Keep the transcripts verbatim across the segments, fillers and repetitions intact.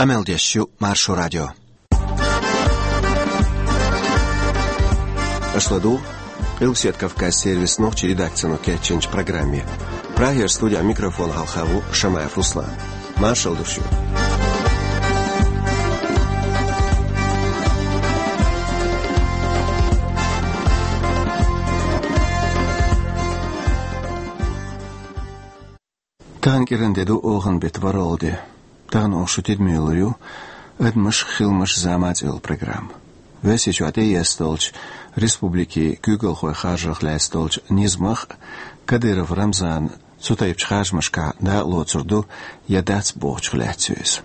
Къамел деш ю Маршо радио. Аша ладугӀу Къилбаседа Кавказан сервисан нохчийн редакцино кечйинчу программе. Прагера студехь микрофон хьалха ву Шамаев Руслан. Маршалла ду шуьга. Тахана кӀиран де ду, оханан беттан ворхӀалгӀа де. Тахана оха шун тидаме лур ю «Адамаш, хиламаш, зама» цӀе йолу программа. Оьрсийчохь тӀеэцна долчу республикийн куьйгалхойн харжарх лаьцна долчу низамах а, Кадыров Рамзана цу тайпачу харжамашкахь дакъа лоцур ду я дац бохучух лаьцна ю иза.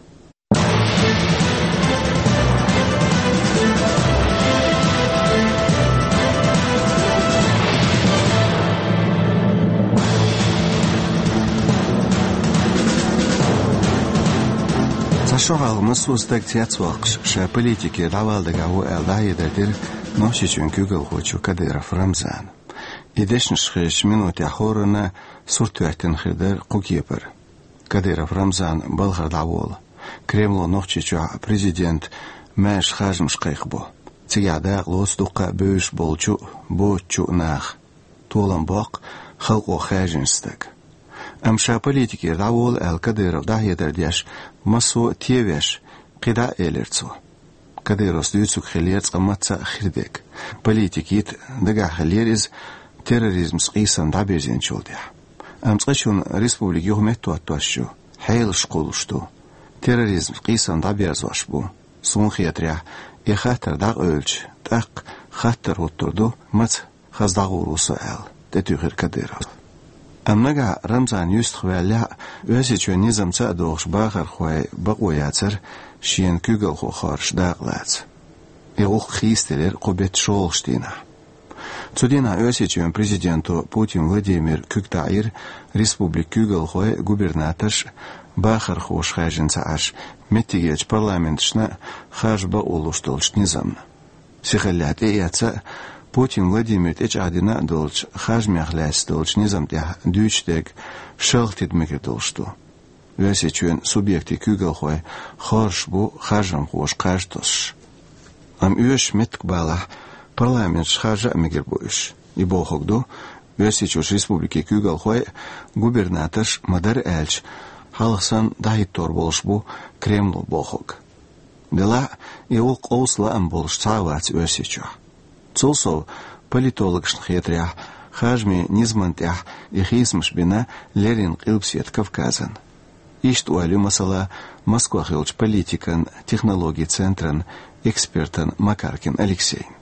Цхьа шо хьалха массо а стаг цецвоккхуш, ша политикера дӀавала дагахь ву аьлла, дӀахьедар дира Нохчийчоьнан куьйгалхочо Кадыров Рамзана. И дешнаш хезачу минотехь хӀоранна сурт хӀоьттина хир дара кху кепара. Кадыров Рамзан балхара дӀаволу. Кремло Нохчийчохь президентан маьрша харжамаш кхайкхабо. Цигахь дакъа лоцу дуккха а бевзаш болчу а, боцучу а наха. Толам боккху халкъо хаьржинчу стага. Амма ша политикера дӀаволу аьлла Кадыров дӀахьедар деш, массо а тевеш, кхидӀа а элира цо. Кадыровс дуьйцург хиллера цкъа мацца а хир дерг. Политика йита дагахь хиллера иза терроризмца къийсам дӀабирзинчул тӀаьхьа. Амма цкъачунна республика юха меттахӀоттош ю, хьелаш кхуллуш ду. Терроризмца къийсам дӀаберзош бу. Суна хетарехь, и хаттар дӀакъевлича, тӀаккха хаттар хӀуттур ду, маца хаза дӀагӀур ву со аьлла, тӀетуьйхира Кадыровс. Амма нагахь Рамзан юьстах ваьллехь а, Оьрсийчоьнан низамца а догӀуш бахархойн бакъо яцара шена куьйгалхо хоржуш дакъа лаца. И гӀуллакх хийцаделира кху беттан шолгӀачу дийнахь. Цу дийнахь Оьрсийчоьнан президенто Путин Владимира куьг таӀийра республикан куьйгалхой а, губернаторш а, бахархоша хаьржина ца Ӏаш, меттигерчу парламенташна а харжа бакъо луш долчу низамна. Сихаллехь тӀеэцна а, Путин Владимира тӀечӀагӀдина а долчу харжамех лаьцна долчу низам тӀехь дуьйцуш дерг шалха тида мегар долуш ду. Оьрсийчоьнан субъектийн куьйгалхой хоржуш бу харжамхоша кхаж тосуш. Амма оьшуш меттиг балахь, парламенташ харжа а мегар бу уьш. И бохург ду, Оьрсийчуьрчу республикийн куьйгалхой а, губернаторш а, ма-дарра аьлча, хьалха санна дӀахӀиттор болуш бу Кремло бохург. Делахь а, и гӀуллакх къовса лаам болуш цхьа а вац Оьрсийчохь. Цул сов, политологашна хетарехь, харжамийн низамна тӀехь и хийцамаш бина леррина Къилбаседа Кавказан. Иштта ойла ю, масала, Москвахь йолчу политикан технологийн центран экспертан Макаркин Алексейн.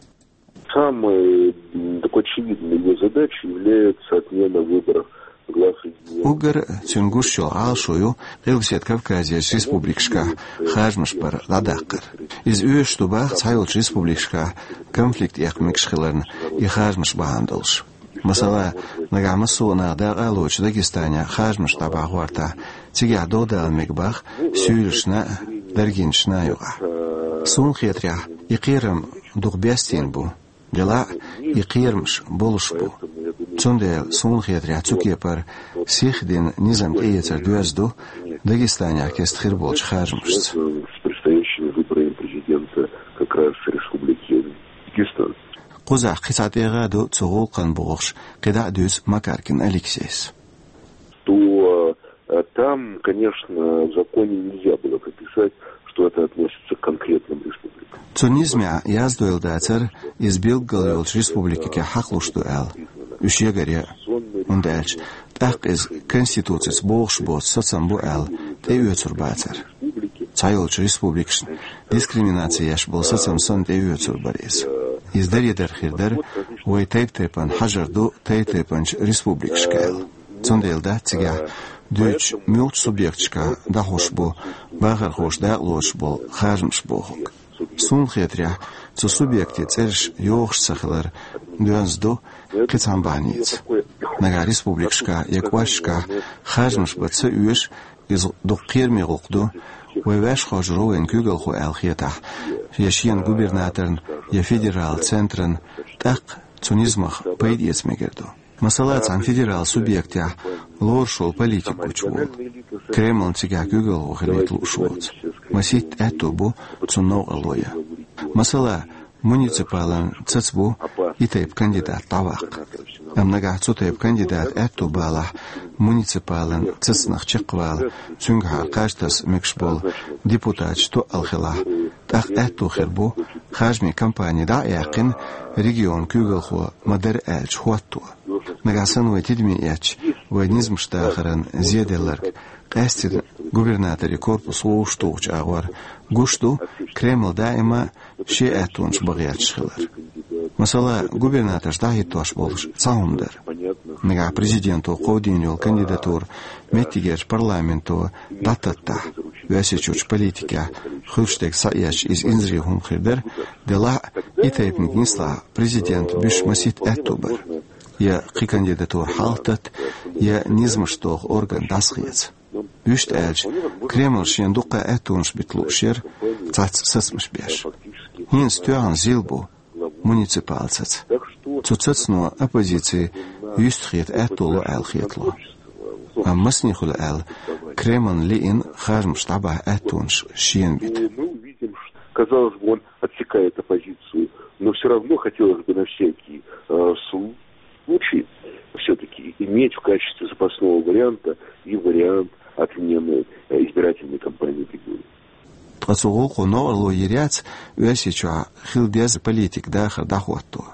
Самой, м, такой очевидной его задачей является отмена выборов глав регионов. Уггар цуьнан гуш йолу Ӏалашо ю Къилбаседа Кавказерчу республикашкахь харжамаш бар дӀадаккхар. Иза оьшуш ду боху цхьайолчу республикашкахь конфликт эккха мегаш хиларна и харжамаш бахьана долуш. Масала, нагахь массо а наха дакъа а лоцуш Дагестанехь харжамаш дӀабахьа гӀортахь, цигахь дов дала мега боху суьйлашна а, даргинашна а юкъахь. Суна хетарехь, и кхерам дукха бестийна бу. Делахь а, и кхерамаш болуш бу. Цундела, суна хетарехь, цу кепара сиха дина низам тӀеэцар доьзна ду Дагестанехь кеста хир болчу харжамашца. С предстоящими выборами президента как раз Республики Дагестан. Кхузахь кхин цхьа тӀегӀа а ду цу гӀуллакхна бохуш, кхидӀа а дуьйцу Макаркин Алексейс. То, э, там, конечно, в законе нельзя было прописать, что это относится к конкретным республикам. Цу низамехь яздойла дацара, иза билггал йолчу республикех хьакхалуш ду аьлла, уьш ягаре а, хӀунда аьлча тӀаккха иза Конституцица богӀуш боцу сацам бу аьлла, тӀеоьцур бацара. Цхьайолчу республикашна дискриминаци еш болу сацам санна тӀеоьцур бара иза. Иза даре дар хир дара, вай тайп-тайпана хьажар ду тайп-тайпанчу республикашка аьлла. Цундела дац цигахь дуьйцуш, муьлхачу субъекташкахь дӀахьуш бу, бахархоша дакъа лоцуш болу харжамаш бохург. Суна хетарехь, цу субъектийн цӀераш йохуш ца хилар доьзна ду кхин цхьана бахьаница. Нагахь республикашкахь я кӀошташкахь харжамаш бан ца оьшу, иза дукха кхераме гӀуллакх ду, вай ваьш хоржур ву вайн куьйгалхо аьлла хетахь, я шена губернаторна, я федералан центрна, тӀаккха цу низамах пайда эца мегар ду. Масала, цхьана федералан субъектехь лоруш волу политик гучуволу, Кремлна цигахь куьйгалхо хилийта лууш воцу. Масийтта аьттув бу цунна новкъарло ян. Масала, муниципалан цаца бу и тайпа кандидат дӀаваккха. Амма нагахь цу тайпа кандидата аьттув балахь, муниципалан цацанах чакхвала, цуьнгахьара кхаж таса мегаш болу депутаташ тоъал хилахь, тӀаккха аьттув хир бу, харжамийн кампани дӀа а яьккхина, регионан куьйгалхо ма-дарра аьлча хӀотто. Нагахь санна вай тидаме эцча, вай низамаш дахаран зеделларг, къаьсттина губернаторийн корпус вовшахтухучу агӀор, гуш ду, Кремль даима шен аьттонаш бан гӀерташ хилар. Масала, губернаторш дӀахӀиттош болуш цхьа хӀума дара. Нагахь президенто кховдийна йолу кандидатура меттигерчу парламенто дӀататтахь, Оьрсийчуьрчу политикехь хуьлуш дерг схьаэцча, иза инзаре хӀума хир дара, делахь а и тайпаниг нислахь президента буьйш масийтта аьтту бара. Я кхин кандидатура хьалхататта, я низамаш доху орган дӀасахеца. Вуьшта аьлча, Кремль шена дуккха а аьттонаш бита лууш яра, цхьацца сацамаш беш. ХӀинца тоьхна зил бу муниципал цаца. Цу цацано оппозици юьстахета аьтто ло аьлла хетало. Амма масане хуьлу аьлла, Кремльна лиъна харжамаш дӀабахьа аьттонаш шена бита. Мы увидим, что, казалось бы, он отсекает оппозицию, но все равно хотелось бы на всякий э, случай все-таки иметь в качестве запасного варианта и вариант отмены э, избирательной кампании в регионе. Ткъа цу гӀуллакхо новкъарло йийр яц Оьрсийчохь хила деза политика дахар дӀахӀотто.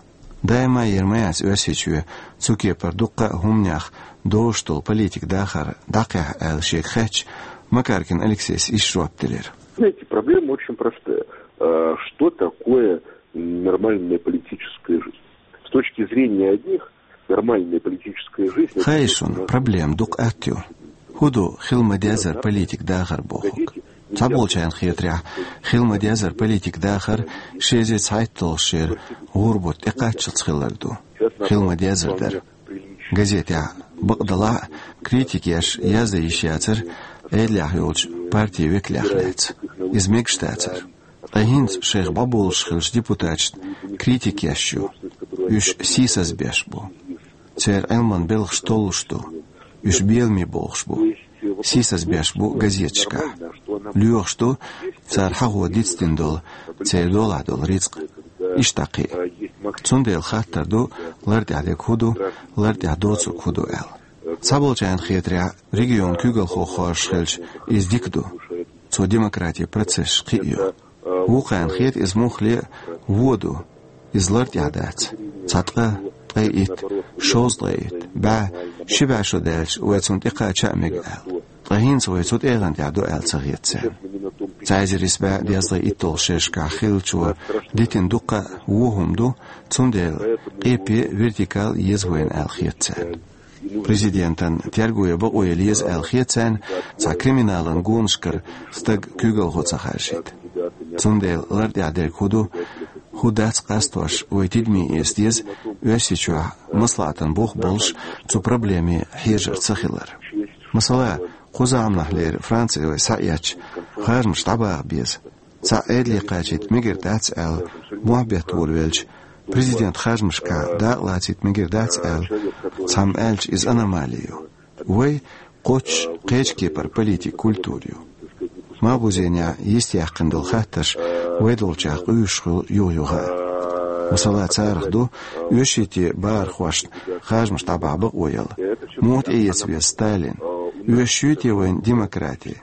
Даима йийр ма яц Оьрсийчоь цу кепара дуккха а хӀуманех дозуш долу политика дахар дӀакхехьа аьлла шега хаьттича, Макаркин Алексейс иштта жоп делира. Знаете, проблема очень простая. А, Что такое нормальная политическая жизнь? С точки зрения одних, нормальная политическая жизнь... Хаьий шуна, проблема дукха атта ю. ХӀун ду хила ма-деззара политика дахар бохург? Цхьаболчарна хетарехь, хила ма-деззара политика дахар ши эзар цхьайтталгӀачу шеран гӀуран бутт тӀекхаччалц хилар ду. Хила ма-деззара дара. Газетехь бакъдалахь а критика еш яздан йиш яцара Ӏедалехь йолчу партин векалех лаьцна. Иза мегаш дацара. Ткъа хӀинца шайх бӀобулуш хиллачу депутаташна критика еш ю. Уьш сийсаз беш бу. Церан Ӏилман белхаш толлуш ду. Уьш беламе бохуш бу. Сийсаз беш бу газеташкахь. Лоьхуш ду цара хьахо дицдина долу, церан долахь долу рицкъ. Иштта кхин а. Цундела хаттар ду, лар тӀехь дерг хӀун ду, лар тӀехь доцург хӀун ду аьлла. Цхьаболчарна хетарехь, регионан куьйгалхо хоржуш хилча, иза дика ду. Цо демократин процессаш кхиъна ю. Вукхарна хета иза муххале а вон ду. Иза лар тӀехь дац. Цхьа ткъа, ткъе итт, шовзткъе итт, бӀе, ши бӀе шо даьлча, вай цунна тӀекхача а мега аьлла. Ткъа хӀинца вай цу тӀегӀан тӀехь ду аьлла ца хета царна. Цхьа эзар исс бӀе дезткъе итталгӀачу шерашкахь хиллачо дитина дуккха а вон хӀума ду, цундела къепе, вертикаль еза вайна аьлла хета царна. Президентан терго ян бакъо ян еза аьлла хета царна, цхьа криминалан гонашкара стаг куьйгалхо ца харжийта. Цундела лар тӀехь дерг хӀун ду, хӀун дац къастош вай тидаме эца деза, Оьрсийчохь маслаӀатан бух болуш цу проблеме хьежар ца хилар. Масала, кху заманахьлера Франци вай схьаэцча, харжамаш дӀабаха беза. Цхьа Ӏедале кхачийта мегар дац аьлла, мохь бетта волавелча, президентан харжамашкахь дакъа лацийта мегар дац аьлла, цхьамма аьлча, иза аномали ю. Вай кхоччуш кхечу кепара политикан культура ю. Малхбузенехь йистяьккхина долу хаттарш вай долчех къуьйсуш хуьлу юха-юха а. Масала, царах ду оьшшуьйтийн бахархошна харжамаш дӀабахьа бакъо яла. Муха тӀеэца веза Сталин? Оьшуш юй те вайна демократи?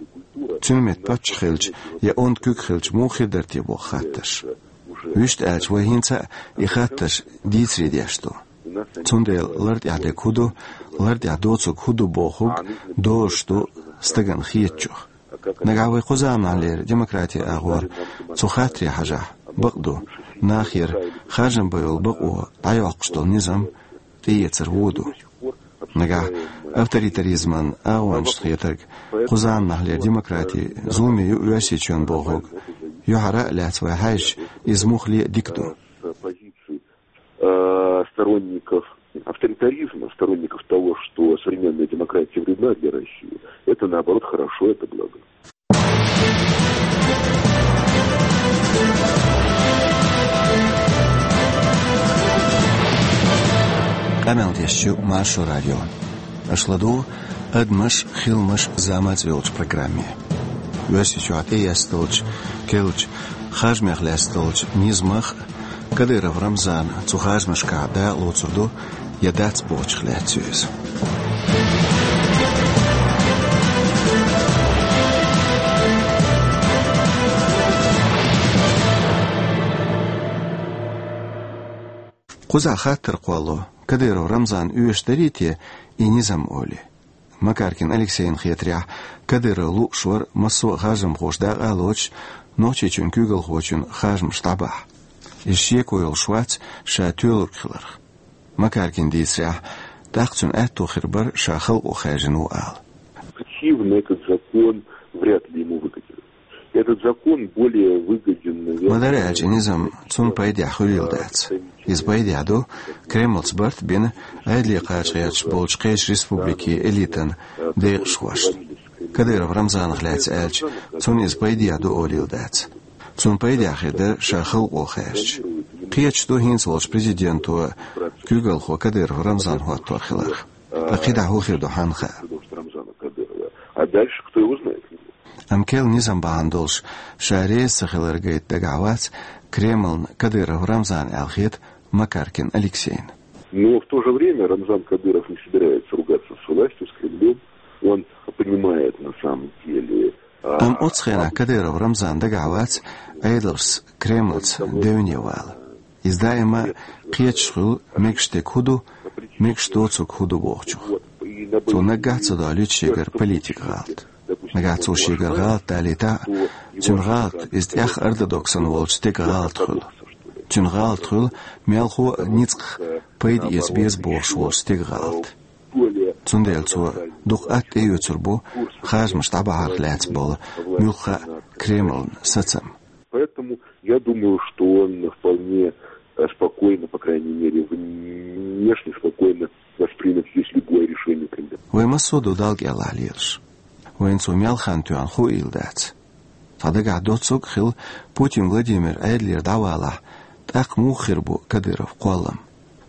Цуьнан метта паччахь хилча я онда куьг хилча муха хир дара те боху хаттарш. Вуьшта аьлча, вай хӀинца а и хаттарш дийцаре деш ду. Цундела лар тӀехь дерг хӀун ду, лар тӀехь доцург хӀун ду бохург дозуш ду стагана хетачух. Нагахь вай кху заманахьлера демократин агӀор цу хаттаре хьажахь, бакъ ду, нахера харжам бан йолу бакъо дӀайоккхуш долу низам тӀеэцар вон ду. Нагахь авторитаризман агӀончашна хетарг, кху заманахьлера демократи зуламе ю Оьрсийчоьнан бохург, юьхьара а лаьцна вай хьаьжча, иза муххале а дика ду. Э, сторонников авторитаризма, сторонников того, что современная демократия вредна для России, это наоборот хорошо, это благо. Къамел деш ю Маршо радио. Аша ладугӀу «Адамаш, хиламаш, зама» цӀе йолчу программе. Оьрсийчохь тӀеэцна долчу, керлачу харжамех лаьцна долчу низамах а, Кадыров Рамзана цу харжамашкахь дакъа лоцур ду я дац бохучух лаьцна ю иза. Кхузахь хаттар кхолло, Кадыров Рамзанна оьшуш дарий те и низам олий? Макаркин Алексейна хетарехь, Кадыров лууш вара массо а харжамхоша дакъа а лоцуш, Нохчийчоьнан куьйгалхочун харжамаш дӀабахьа. Иза шеко йолуш вац ша тоьлург хиларх. Макаркина дийцарехь, тӀаккха цуьнан аьтто хир бара ша халкъо хаьржина ву ала. Объективно этот закон вряд ли ему выгоден. Этот закон более выгоден, наверное, Ма дара аьлча, и низам цунна пайдехь хуьлийла дац. Иза пайдехь ду Кремлца барт а бина, Ӏедале кхача гӀерташ болчу кхечу республикийн элитан декъашхошна. Кадыров Рамзанах лаьцна аьлча, цунна иза пайдехь ду олийла дац. Цунна пайдехь хир дара ша халкъо хаьржича. Кхеташ ду хӀинца волчу президенто куьйгалхо Кадыров Рамзан хӀоттор хиларх. Ткъа кхидӀа хӀун хир ду, хьанна хаьа. А дальше кто его знает? Амма керла низам бахьана долуш ша реза ца хилар гайта дагахь вац Кремлна Кадыров Рамзан аьлла хета Макаркин Алексейна. Но в то же время Рамзан Кадыров не собирается ругаться с властью, с Кремлем. Он понимает на самом деле, а, Амма оцу хенахь Кадыров Рамзан дагахь вац Ӏедалшца, Кремлца девне вала. Иза даима кхеташ хуьлу, мегаш дерг хӀун ду, мегаш доцург хӀун ду бохучух. Цо наггахь а ца долуьйту шегара политикан гӀалат. Нагахь цо шегара гӀалат далийтахь а, цуьнан гӀалат иза тӀех ортодоксан волчу стеган гӀалат хуьлу. Цуьнан гӀалат хуьлу мелхо а ницкъах пайда эца беза бохуш волчу стеган гӀалат. Цундела цо дукха атта тӀеоьцур бу харжамаш дӀабахьарх лаьцна болу муьлхха а Кремлан сацам. Поэтому я думаю, что он вполне, э, спокойно, по крайней мере, внешне спокойно воспримет здесь любое решение Кремля. Вай массо а ду Далла кӀелахь лелаш. Вайна цо мел хан тоьхна хуийла дац. Цхьа дагахь доцург а хилла, Путин Владимир Ӏедалера дӀавалахь, тӀаккха муха хир бу Кадыров кхоллам?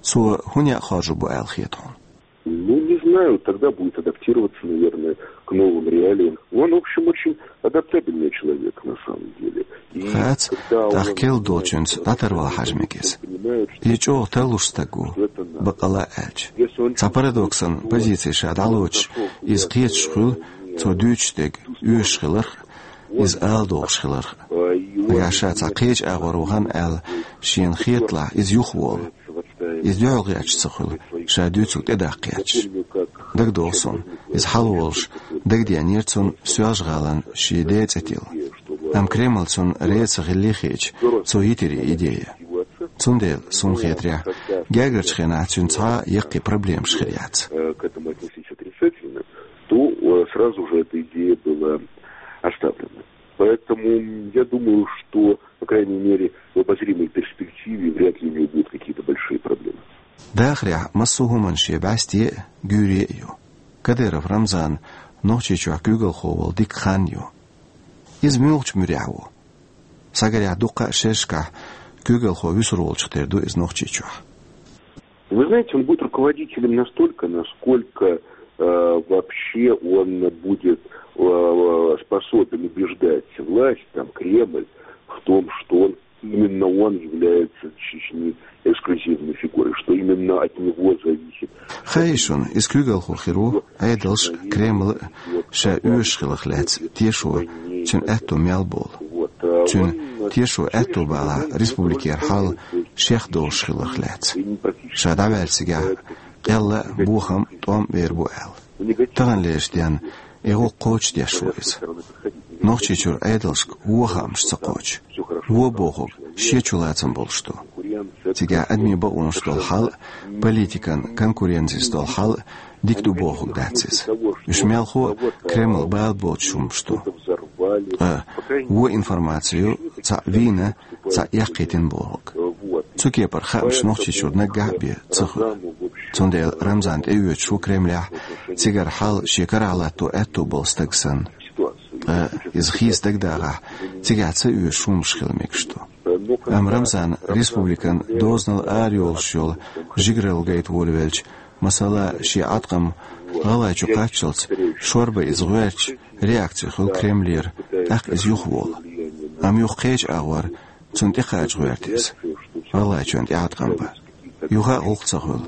Цо хӀун некъ хоржур бу аьлла хета хьуна? Ну, не знаю, тогда будет адаптироваться, наверное, к новым реалиям. Он, в общем, очень адаптабельный человек, на самом деле. И Хац, когда он тӀаккха керла долчуьнца дӀатарвала хьажа мега иза. Иза чӀогӀа тарлуш стаг ву, баккъалла а аьлча. Цхьа парадоксан позици ша дӀалоцуш, иза кхеташ хуьлу, цо дуьйцуш дерг оьшуш хиларх а, иза ала догӀуш хиларх а. Нагахь ша цхьа кхечу агӀор вахана аьлла, шена хеталахь, иза юхаволу. Иза дуьхьал гӀерташ ца хуьлу, ша дуьйцург тӀедаккха гӀерташ. ДагадогӀу суна, иза хьалаволуш, дагадеанера цунна Соьлжа-ГӀалин шен ден цӀе тилла. Амма Кремль цунна реза ца хилли хеташ, цо йитира и идея. Цундела, суна хетарехь, гергарчу хенахь цуьнан цхьа а яккхий проблемаш хир яц. Э, к этому отнеслись отрицательно, то, э, сразу же эта идея была оставлена. Поэтому я думаю, что, по крайней мере, в обозримой перспективе вряд ли у него будут какие-то большие проблемы. Дахарехь массо а хӀуманаш шен бӀаьсте а, гуьйре а ю. Кадыров Рамзан Нохчийчохь куьйгалхо волу дика хан ю. Иза муьлхачу муьрехь ву? Схьагарехь, дуккха а шерашкахь куьйгалхо вуьсур волчух тера ду иза Нохчийчохь. Вы знаете, он будет руководителем настолько, насколько, э, вообще он будет, э, способен убеждать власть, там, Кремль, в том, что он, именно он является в Чечне эксклюзивной фигурой, что именно от него зависит. Хаьий шуна, иза куьйгалхо хир ву Ӏедалш а, Кремль а ша оьшуш хиларх лаьцна тешо цуьнан аьтто мел болу. Цуьнан тешо аьтто балахь республикера хьал шех долуш хиларх лаьцна. Ша дӀаваьлла цигахь къелла а, бохам а, тӀом а бер бу аьлла. Таханлерчу денна и гӀуллакх кхочушдеш ву иза. Нохчийчуьра Ӏедалшка вон хаамаш ца кхочу. Вон бохург шен чулацам болуш ду. Цигахь адамийн бакъонаш долу хьал а, политикан конкуренцис долу хьал а дика ду бохург дац иза. Уьш мелхо а Кремль бала боцуш хӀуманаш ду. Ткъа вон информаци ю цхьаъ вийна, цхьаъ яккхийтина бохург. Цу кепара хаамаш Нохчийчуьра наггахь а бен ца хуьлу. Цундела Рамзан тӀеоьцуш ву Кремлехь, цигара хьал шен карахь латто аьтто болу стаг санна. Ткъа иза хийца дагадахахь, цигахь ца оьшуш хӀуманаш хила мегаш ду. Амма Рамзан республикан дозанал арайолуш йолу жигаралла гайта волавелча, масала, шен Ӏаткъам гӀалгӀайчу кхаччалц шорбан иза гӀоьртича, реакци хуьлу Кремлера, тӀаккха иза юха вола. Амма юха кхеча агӀор цунна тӀекхача гӀерта иза. ГӀалгӀайчоьнна тӀеӀаткъам ба. Юха а гӀуллакх ца хуьлу.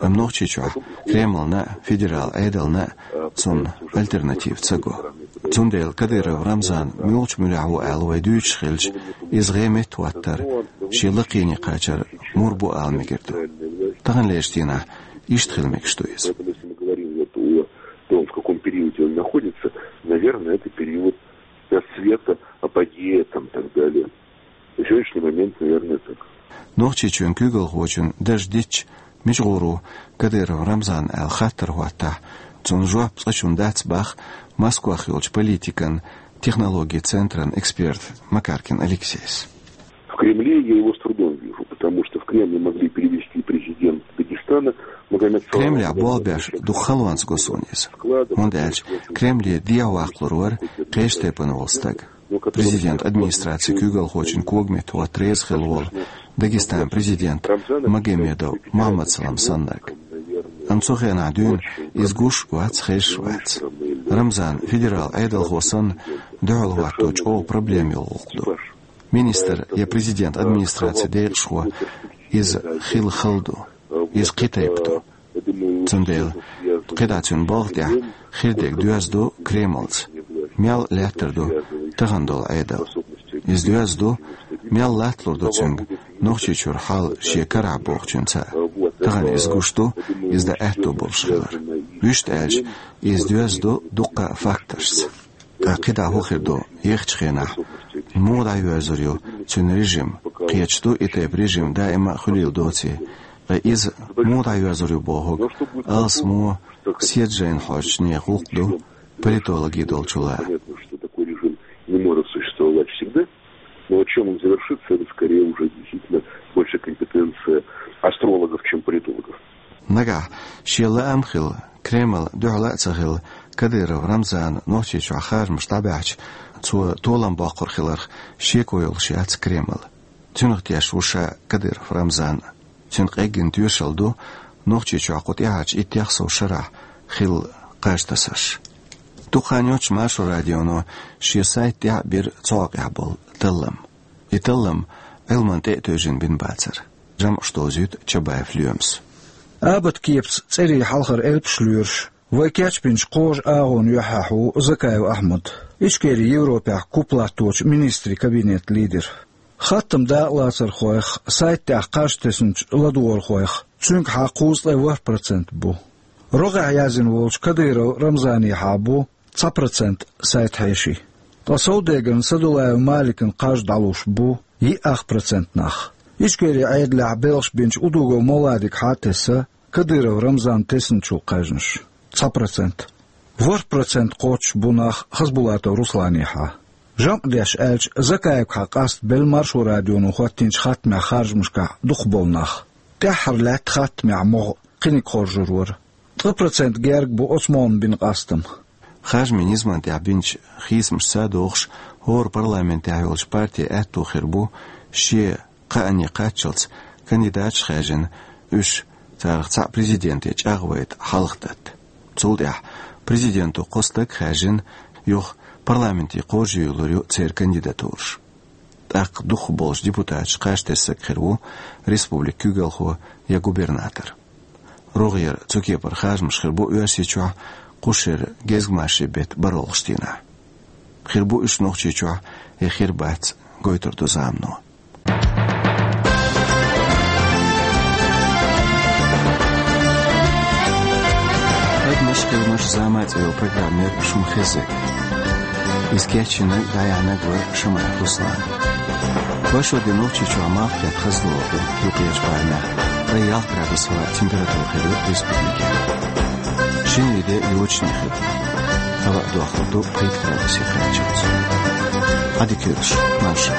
Амма Нохчийчохь Кремлна а, федерал Ӏедална а цунна альтернатива ца го. Цундела Кадыров Рамзан муьлхачу муьрехь ву аьлла вай дуьйцуш хилча, иза гӀеметтахӀоттар шен лакхене кхачар мур бу ала мегар ду. Таханлерчу дийнахь иштта хила мегаш ду иза. Поэтому, если мы говорим вот о том, в каком периоде он находится, наверное, это период расцвета, апогея, там, и так далее. На сегодняшний момент, наверное, так. Нохчийчоьнан куьйгалхочун дарж дитча, мича гӀур ву Кадыров Рамзан аьлла хаттар хӀоттахь, цунна жоп цкъачунна дац боху Москвахь йолчу политикан технологийн центран эксперт Макаркин Алексейс. В Кремле я его с трудом вижу, потому что в Кремль могли перевести президент Дагестана Магомед Саламов. Кремлехь болх беш дукха халонца го суна иза. ХӀунда аьлча Кремле дехьаваккхалур вара кхечу тайпана волу стаг. Президент администрацин куьйгалхочун когаметтахӀотта реза хилла волу Дагестанан президент Магомедов Мухаммад-Салам саннарг. Амма цу хенахь дуьйна иза гуш а вац, хезаш а вац. Рамзан федерал Ӏедалхо санна дуьхьал хӀотто чӀогӀа проблема йолу гӀуллакх ду. Министр я президент администрацин декъашхо иза хила хала ду, иза кхин тайпа ду. Цундела кхидӀа цуьнан балха тӀехь хир дерг доьзна ду Кремлца. Мел лаьттар ду тахана долу Ӏедал. Иза доьзна ду, мел латталур ду цуьнга Нохчийчуьра хьал шен карахь бохучуьнца. Тахана иза гуш ду, иза дан аьтто болуш хилар. Вуьшта аьлча, иза доьзна ду дуккха а факташца. ТӀаккха кхидӀа хӀун хир ду ехачу хенахь? Муха дӀайоьрзур ю цуьнан режим? Кхеташ ду, и тайпа режим даима а хуьлийла доций. Ткъа иза муха дӀайоьрзур ю бохург алсамо, седа жайна хьожучу нехан гӀуллакх ду, политологийн долчул а. Понятно, что такой режим не может существовать всегда, но вот чем он завершится, это скорее уже действительно больше компетенция астрологов, чем политологов. Нагахь шен лаам хилла, Кремль дуьхьал а ца хилла, Кадыров Рамзана Нохчийчохь харжамаш дӀабаьхьча, цо толам боккхур хиларх шеко йолуш яц Кремль. Цуьнах тешаш ву ша Кадыров Рамзан. Цуьнан къеггина тоьшалла ду Нохчийчохь кху тӀаьхьарчу иттех сов шарахь хилла кхаж тасарш. Дукха хан йоццуш Маршо радионо шен сайта тӀехь а бира цу хьокъехь болу таллам. И таллам Ӏилманна тӀе а тевжина бина бацара. ЖамӀаш довзуьйту Чабаев Лоьмас. Абат кепаца цӀерийн хьалхара элпаш лоьруш, вай кечбинчу кхожу агӀонан юьххьехь ву Закаев Ахьмад, Ичкерин Европехь куп латточу министрийн кабинетан лидер. Хаттам дакъалацархойх сайта тӀехь кхаж тесначу ладогӀархойх цуьнгахьа кхузткъе ворхӀ процент бу. РогӀехь яздина волчу Кадыров Рамзанехьа бу цхьа процент сайта хьеший. Ткъа Саудегарна Садулаев Маликна кхаж дӀалуш бу йиъ ах процент нах. Ичкерин Ӏедалехь белхаш бинчу Удугов Мовладигахьа тесна Кадыров Рамзанна тесначул кхаьжнаш цхьа процент. ВорхӀ процент кхоччуш бу нах Хасбулатов Русланехьа. ЖамӀ деш аьлча, Закаевгахьа къаста белла Маршо радионо хӀоттийначу хаттамехь харжамашкахь дукхахболу нах. ТӀаьххьара лаьтта хаттамехь могӀа кхиниг хоржур вара. Ткъа процент герга бу оцу могӀанна бина къастам. Харжамийн низамна тӀехь бинчу хийцамашца догӀуш, хӀора парламентехь йолчу партин аьтто хир бу шен кхаанне кхаччалц кандидаташ хаьржина, уьш царах цхьаъ президенте чӀагӀвайта хьалхадатта. Цул тӀаьхьа президенто кхо стаг хаьржина, юха парламенте кхожаюьйлур ю церан кандидатураш. ТӀаккха дукхахболчу депутаташца кхаж тесна стаг хир ву республикан куьйгалхо я губернатор. РогӀера цу кепара харжамаш хир бу Оьрсийчохь кху шеран гезгмашин беттан бархӀалгӀачу дийнахь. Хир бу уьш Нохчийчохь я хир бац, гойтур ду замано. Адамаш, хиламаш, зама цӀе йолу программа яра шуна хезнарг. Иза кечйинарг, дӀаяьхьнарг вара Шамаев Руслан. Вай шо де Нохчийчохь малх кхетта хазлугӀур ду юккъерчу барамехь, ткъе ялх градус хила температура хир ю республикехь. Шинарин де йочане хир ду. Хьала а дохлур ду пхийтта градусе кхаччалц. Ӏадика йойла шун, марша.